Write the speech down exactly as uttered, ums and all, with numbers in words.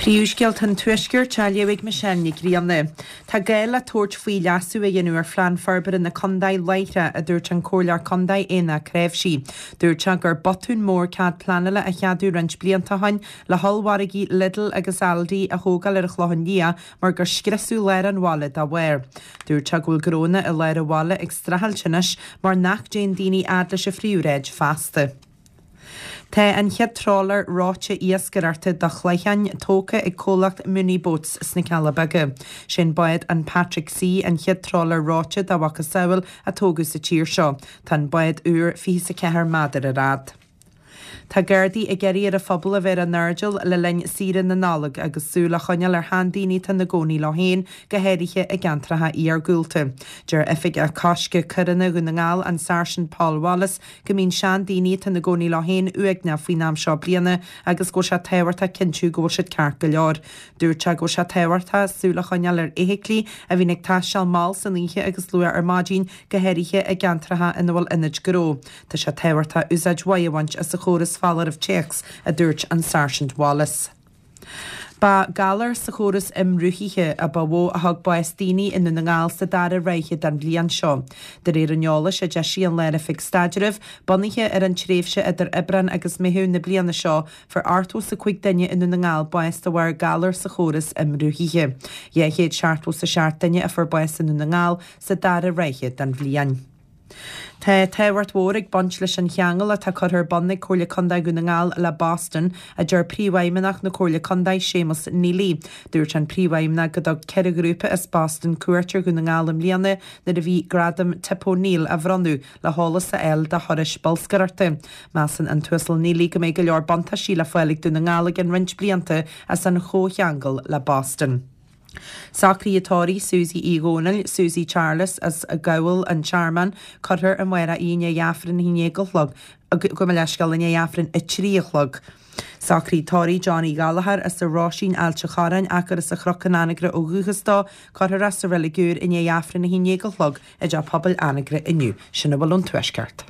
Príomhscéalta an Tuaiscirt á léamh ag Michelle Nic Grianna. Tá gá le tabhairt faoi leasú a dhéanamh ar phlean forbartha na contae láithreach, a dúirt an Comhairleoir Contae Éanna Créimhsí. Dúirt sé gur botún mór cead pleanála a cheadú roinnt blianta ó shin le hollmhargaí Lidl agus Aldi a thógáil ar an Chlochán Liath mar gur scriosadh lár an bhaile dá bharr. Dúirt sé go bhfuil gnónna i lár an bhaile ag streachailt anois mar nach dtéann daoine fhad leis an phríomhshráid feasta. Tá an chéad trawler reoite iascaireachta do chlocháin tógtha ag comhlacht Mooney Boats sna Cealla Beaga. Sin bád an Patrick C an chéad trawler reoite dá mhacasamhail a tógadh sa tír seo. Tá an bád úr fiche ceathair méadar ar fhad. Tá Gardaí ag iarraidh ar an phobal a bheith ar a n-airdeall le linn saoire na Nollag agus súil a choinneáil ar sheandaoine atá ina gcónaí leo féin, go háirithe i gceantracha iargúlta. Deir Oifigeach Coiscthe Coireanna Dhún na nGall, an Sáirsint Paul Wallace, go mbíonn seandaoine atá ina gcónaí leo féin uaigneach faoin am seo bliana agus go bhfuil sé tábhachtach cinntiú go bhfuil siad ceart go leor. Dúirt sé go bhfuil sé tábhachtach súil a choinneáil ar fheithiclí a bhíonn ag taisteal mall san oíche agus luath ar maidin, go háirithe i gceantracha ina bhfuil ionaid gnó. Tá sé tábhachtach úsáid mhaith a bhaint as an chóras foláireamh téacs, a dúirt an Sáirsint Wallace. Ba galar sa chóras imrothaithe a ba mhó a thug bás daoine i nDún na nGall sa dara ráithe den bhliain seo. De réir an eolais a d'eisigh an Lár-Oifig Staidrimh, bunaithe ar an tréimhse idir Aibreán agus Meitheamh na bliana seo, fuair ochtó is a cúig duine i nDún na nGall bás de bharr galar sa chóras imrothaithe. Dhá chéad seachtó is a seacht duine a fuair bás i nDún na nGall sa dara ráithe den bhliain. Tá tábhacht mhór ag baint leis an cheangal atá curtha ar bun ag Comhairle Contae Dhún na nGall le Boston, a deir Príomhfheidhmeannach na Comhairle Contae Séamus Neely. Dúirt an Príomhfheidhmeannach go dtug ceithre ghrúpa as Boston cuairt ar Dhún na nGall i mbliana nuair a bhí gradam Tip O'Neill á bhronnadh le heolas a fháil do thurais bolscaireachta. Measann an tUasal Neely go mbeidh go leor buntáistí le fáil ag Dún na nGall i gceann roinnt blianta as an chomhcheangal le Boston. Socruithe tórraimh Susie Uí Dhónaill, Susie Charles as Gabhal an Tearmann, cuirfear amárach í i ndiaidh Aifreann a haon déag a chlog, gabh mo leithscéal i ndiaidh Aifreann a trí a chlog. Socruithe tórraimh Johnny Gallagher as an Róisín Ailt an Chorráin ach gur as an Chnoc in Anagaire ó dhúchas dó, cuirfear é sa reilig úr i ndiaidh Aifreann a haon déag a chlog i dTeach Pobail Anagaire inniu. Sin a bhfuil ón Tuaisceart.